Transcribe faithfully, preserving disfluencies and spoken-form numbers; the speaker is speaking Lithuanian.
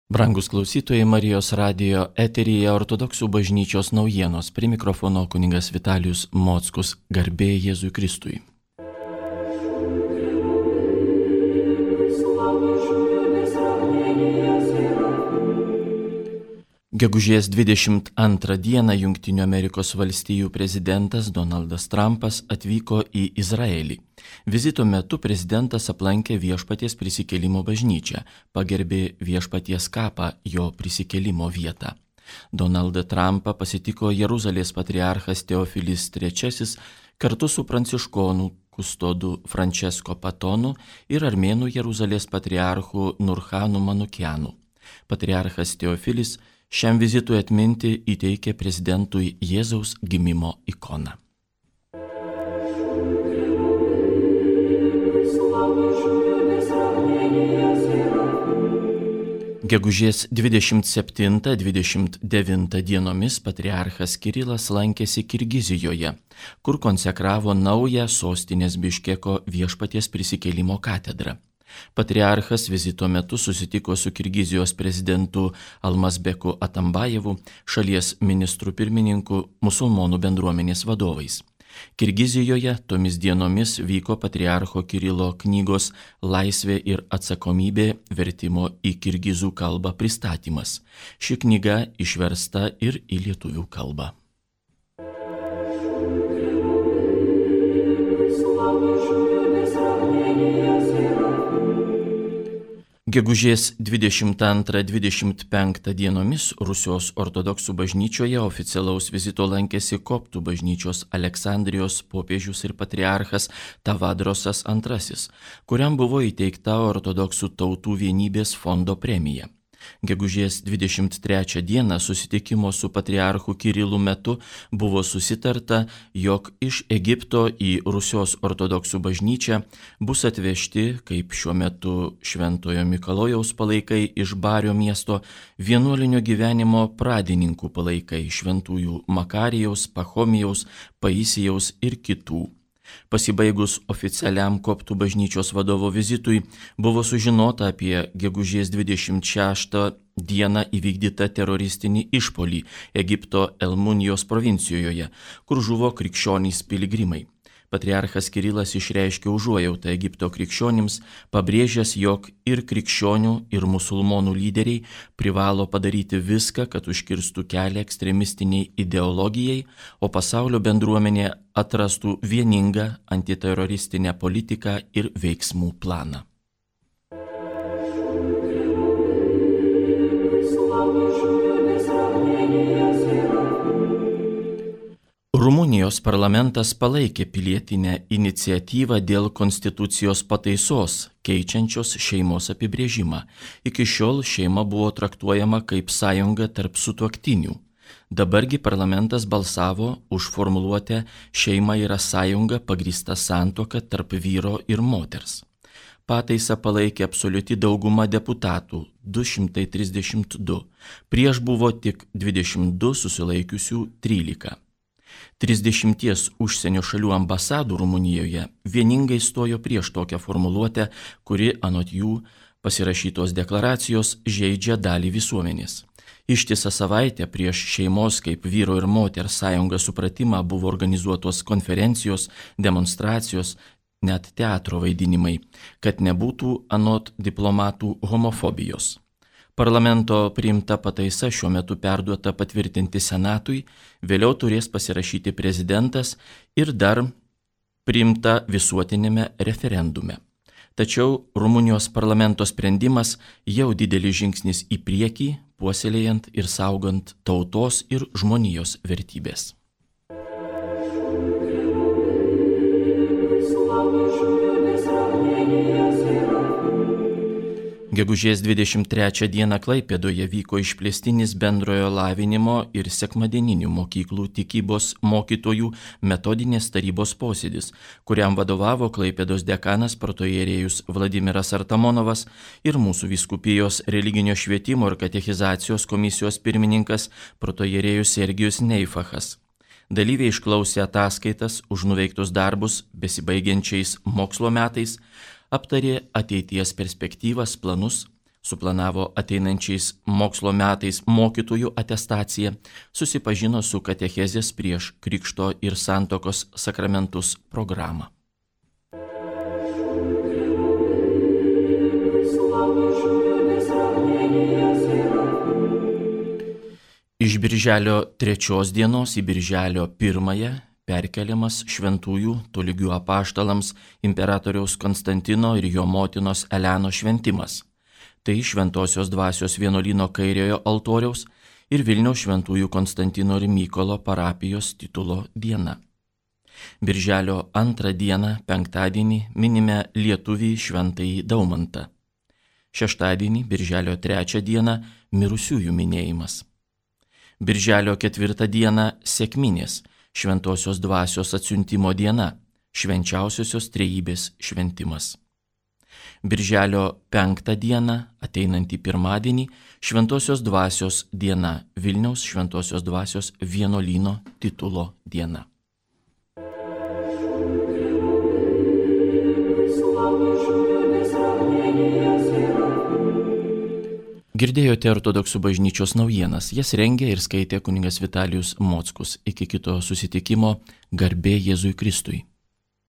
Brangus klausytojai, Marijos radijo eteryje Ortodoksų bažnyčios naujienos. Prie mikrofono kunigas Vitalijus Mockus. Garbė Jėzui Kristui. Gegužės dvidešimt antrą dieną Jungtinių Amerikos valstijų prezidentas Donaldas Trumpas atvyko į Izraelį. Vizito metu prezidentas aplankė Viešpaties prisikėlimo bažnyčią, pagerbė Viešpaties kapą, jo prisikėlimo vietą. Donaldą Trumpą pasitiko Jeruzalės patriarchas Teofilis trečiasis kartu su pranciškonų kustodu Francesco Patonu ir armėnų Jeruzalės patriarchu Nurhanu Manukianu. Patriarchas Teofilis šiam vizitui atminti įteikė prezidentui Jėzaus gimimo ikoną. Gegužės dvidešimt septintą dvidešimt devintą dienomis patriarchas Kirilas lankėsi Kirgizijoje, kur konsekravo naują sostinės Biškeko Viešpaties prisikėlimo katedrą. Patriarchas vizito metu susitiko su Kirgizijos prezidentu Almazbeku Atambajevu, šalies ministru pirmininku, musulmonų bendruomenės vadovais. Kirgizijoje tomis dienomis vyko patriarcho Kirilo knygos Laisvė ir atsakomybė vertimo į kirgizų kalbą pristatymas. Ši knyga išversta ir į lietuvių kalbą. Gegužės dvidešimt antrą dvidešimt penktą dienomis Rusijos ortodoksų bažnyčioje oficialaus vizito lankėsi koptų bažnyčios Aleksandrijos popiežius ir patriarchas Tavadrosas antrasis, kuriam buvo įteikta ortodoksų tautų vienybės fondo premija. Gegužės dvidešimt trečią dieną susitikimo su patriarchu Kirilu metu buvo susitarta, jog iš Egipto į Rusijos ortodoksų bažnyčią bus atvežti, kaip šiuo metu Šventojo Mikalojaus palaikai iš Bario miesto, vienuolinio gyvenimo pradininkų palaikai šventųjų Makarijaus, Pachomijaus, Paisijaus ir kitų. Pasibaigus oficialiam koptų bažnyčios vadovo vizitui, buvo sužinota apie gegužės dvidešimt šeštą dieną įvykdytą teroristinį išpuolį Egipto Elmunijos provincijoje, kur žuvo krikščionys piligrimai. Patriarchas Kirilas išreiškė užuojautą Egipto krikščionims, pabrėžęs, jog ir krikščionių, ir musulmonų lyderiai privalo padaryti viską, kad užkirstų kelią ekstremistiniai ideologijai, o pasaulio bendruomenė atrastų vieningą antiteroristinę politiką ir veiksmų planą. Rumunijos parlamentas palaikė pilietinę iniciatyvą dėl konstitucijos pataisos, keičiančios šeimos apibrėžimą. Iki šiol šeima buvo traktuojama kaip sąjunga tarp sutuoktinių. Dabargi parlamentas balsavo už formuluotę šeima yra sąjunga pagrįsta santuoka tarp vyro ir moters. Pataisą palaikė absoliuti dauguma deputatų – du šimtai trisdešimt du. Prieš buvo tik dvidešimt du, susilaikiusių trylika. Trisdešimties užsienio šalių ambasadų Rumunijoje vieningai stojo prieš tokią formuluotę, kuri anot jų pasirašytos deklaracijos žeidžia dalį visuomenės. Ištisą savaitę prieš šeimos kaip vyro ir moters sąjungą supratimą buvo organizuotos konferencijos, demonstracijos, net teatro vaidinimai, kad nebūtų anot diplomatų homofobijos. Parlamento priimta pataisa šiuo metu perduota patvirtinti Senatui, vėliau turės pasirašyti prezidentas ir dar priimta visuotinėme referendume. Tačiau Rumunijos parlamento sprendimas jau didelis žingsnis į priekį, puoselėjant ir saugant tautos ir žmonijos vertybės. Gegužės dvidešimt trečią dieną Klaipėdoje vyko išplėstinis bendrojo lavinimo ir sekmadieninių mokyklų tikybos mokytojų metodinės tarybos posėdis, kuriam vadovavo Klaipėdos dekanas protoierėjus Vladimiras Artamonovas ir mūsų vyskupijos religinio švietimo ir katechizacijos komisijos pirmininkas protoierėjus Sergijus Neifachas. Dalyviai išklausė ataskaitas už nuveiktus darbus besibaigiančiais mokslo metais, aptarė ateities perspektyvas, planus, suplanavo ateinančiais mokslo metais mokytojų atestaciją, susipažino su katechezės prieš krikšto ir santokos sakramentus programą. Iš birželio trečios dienos į birželio pirmąją perkeliamas šventųjų tolygių apaštalams imperatoriaus Konstantino ir jo motinos Elenos šventimas. Tai Šventosios dvasios vienuolyno kairiojo altoriaus ir Vilniaus šventųjų Konstantino ir Mykolo parapijos titulo diena. Birželio antrą dieną, penktadienį, minime lietuvį šventąjį Daumantą. Šeštadienį, birželio trečią dieną, mirusiųjų minėjimas. Birželio ketvirtą dieną, sekminės, Šventosios dvasios atsiuntimo diena, švenčiausiosios trejybės šventimas. Birželio penktą dieną, ateinantį pirmadienį, Šventosios dvasios diena, Vilniaus Šventosios dvasios vienuolyno titulo diena. Girdėjote Ortodoksų bažnyčios naujienas, jas rengė ir skaitė kunigas Vitalijus Mockus. Iki kito susitikimo, garbė Jėzui Kristui.